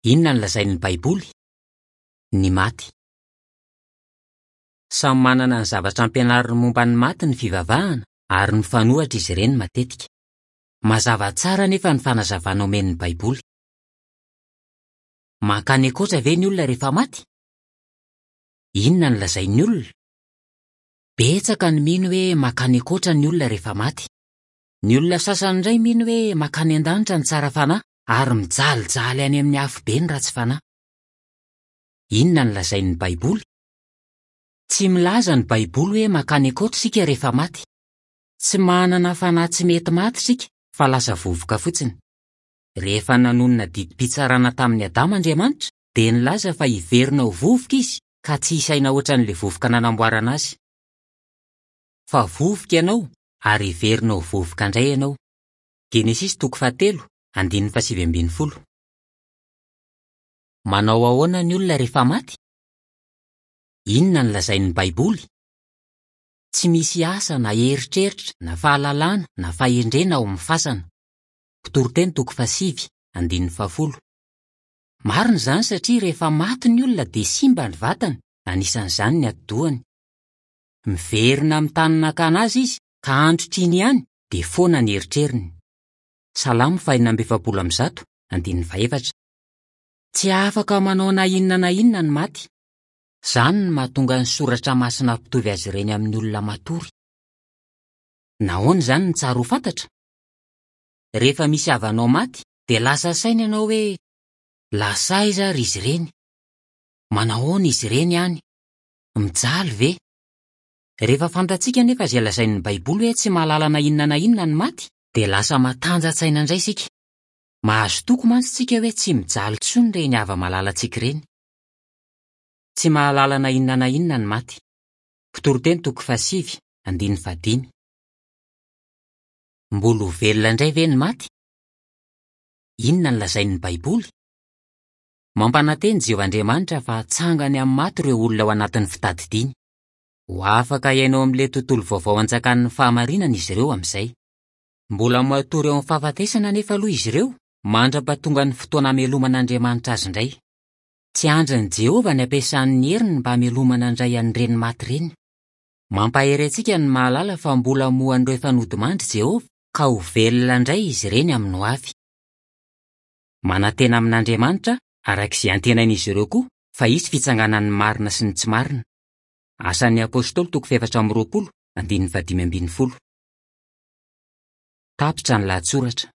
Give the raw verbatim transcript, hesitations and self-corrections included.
Inona no lazain'ny Baiboly? Ny maty. Samy manana ny zavatra ampianariny momba ny maty ny fivavahana ary mifanohitra izy ireny matetika. Mazava tsara anefa ny fanazavana omen'ny Baiboly. Mankany ankoatra ve ny olona rehefa maty? Inona no lazain'ny olona? Betsaka ny mino hoe mankany ankoatra ny olona rehefa maty. Ny olona sasany indray mino hoe mankany an-danitra ny tsara fanahy ary mijalijaly any amin'ny afobe ny ratsy fanahy. Inona no lazain'ny Baiboly? Tsy milaza ny Baiboly hoe mankany ankoatra isika rehefa maty. Tsy manana fanahy tsy mety maty isika fa lasa vovoka fotsiny. Rehefa nanonona didim-pitsarana tamin'i Adama Andriamanitra dia nilaza fa hiverina ho vovoka izy ka tsy hisaina ohatran'ilay vovoka nanamboarana azy. Fa vovoka ianao ary hiverina ho vovoka indray ianao. Genesisy toko fahatelo, andininy fahasivy ambin'ny folo. Manao ahoana ny olona rehefa maty? Inona no lazain'ny Baiboly? Tsy misy asa na eritreritra na fahalalana na fahendrena ao amin'ny fasana. Mpitoriteny toko fahasivy, andininy fahafolo. Marina izany satria rehefa maty ny olona dia simba ny vatany, anisan'izany ny atidohany. Miverina amin'ny tany nakana azy izy ka androtr'iny ihany dia foana ny eritreriny. Salamo fahenina amby efapolo amby zato, andininy fahefatra. Tsy afaka manao na inona na inona ny maty. Izany no mahatonga ny soratra masina hampitovy azy ireny amin'ny olona matory. Nahoana izany no tsara ho fantatra? Rehefa misy havanao maty dia lasa saina ianao hoe lasa aiza ary izy ireny? Manahoana izy ireny any? Mijaly ve? Rehefa fantatsika anefa izay lazain'ny Baiboly hoe tsy mahalala na inona na inona ny maty dia lasa matanja-tsaina indray isika. Mahazo toky mantsy tsika hoe tsy mijaly intsony ireny hava-malalantsika ireny. Tsy mahalala na inona na inona ny maty. Mpitoriteny toko fahasivy, andininy fahadimy. Mbola ho velona indray ve ny maty? Inona no lazain'ny Baiboly? Mampanantena Jehovah Andriamanitra fa hatsangany amin'ny maty ireo olona ao anatin'ny fitadidiany. Ho afaka hiaina ao amin'ilay tontolo vaovao anjakan'ny fahamarinana izy ireo amin'izay. Mbola matory eo amin'ny fahafatesana anefa aloha izy ireo mandra-pahatonga ny fotoana hameloman'Andriamanitra azy indray. Tsy andrin'i Jehovah ny ampiasany ny heriny mba hamelomana indray an'ireny maty ireny. Mampahery antsika ny mahalala fa mbola moa an'ireo efa nodimandry Jehovah ka ho velona indray izy ireny amin'ny hoavy. Manantena amin'Andriamanitra araka izay antenain'izy ireo koa fa hisy fitsanganan'ny marina sy ny tsy marina. Asan'ny Apostoly toko fahefatra amby roapolo, andininy fahadimy ambin'ny folo. Tapitra ny lahatsoratra.